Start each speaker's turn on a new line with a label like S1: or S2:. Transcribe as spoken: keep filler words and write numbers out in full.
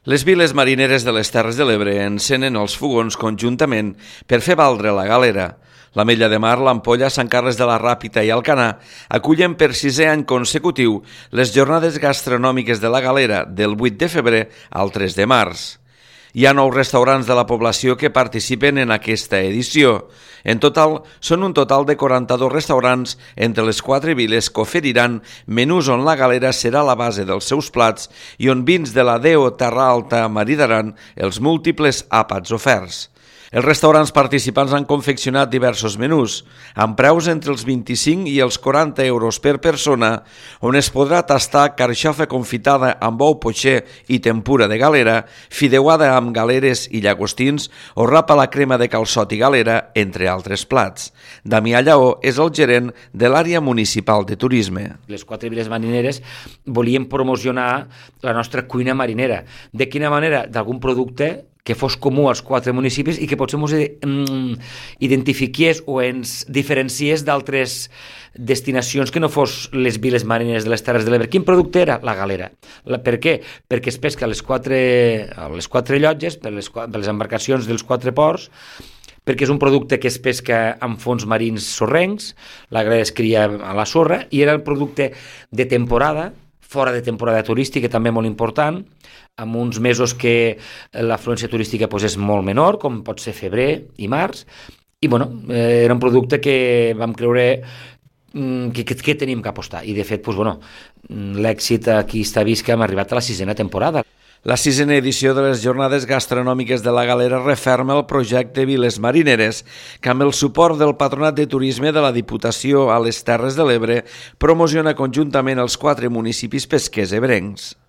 S1: Les viles marineres de les Terres de l'Ebre encenen els fogons conjuntament per fer valdre la galera. L'Ametlla de Mar, l'Ampolla, Sant Carles de la Ràpita i Alcanar acullen per sisè any consecutiu les jornades gastronòmiques de la galera del vuit de febrer al tres de març. Hi ha nou restaurants de la població que participen en aquesta edició. En total, són un total de quaranta-dos restaurants entre les quatre viles que oferiran menús on la galera serà la base dels seus plats i on vins de la Deo Terra Alta maridaran els múltiples àpats oferts. Els restaurants participants han confeccionat diversos menús, amb preus entre els vint-i-cinc i els quaranta euros per persona, on es podrà tastar carxofa confitada amb ou potxer i tempura de galera, fideuada amb galeres i llagostins o rapa a la crema de calçot i galera, entre altres plats. Damià Lleó és el gerent de l'àrea municipal de turisme.
S2: Les quatre viles marineres volíem promocionar la nostra cuina marinera. De quina manera? D'algun producte que fos comú als quatre municipis i que potser ens mm, identifiqués o ens diferencies d'altres destinacions que no fos les viles marineres de les Terres de l'Ebre. Quin producte era? La galera. La, per què? Perquè es pesca a les quatre, a les quatre llotges, per les, per les embarcacions dels quatre ports, perquè és un producte que es pesca amb fons marins sorrencs, la galera es cria a la sorra, i era el producte de temporada, fora de temporada turística, també molt important, amb uns mesos que l'afluència turística pues, és molt menor, com pot ser febrer i març, i bueno, eh, era un producte que vam creure mm, que, que, que teníem que apostar, i de fet pues, bueno, l'èxit aquí està vist que hem arribat a la sisena temporada.
S1: La sisena edició de les jornades gastronòmiques de la galera referma el projecte Viles Marineres, que amb el suport del Patronat de Turisme de la Diputació a les Terres de l'Ebre promociona conjuntament els quatre municipis pesquers ebrencs.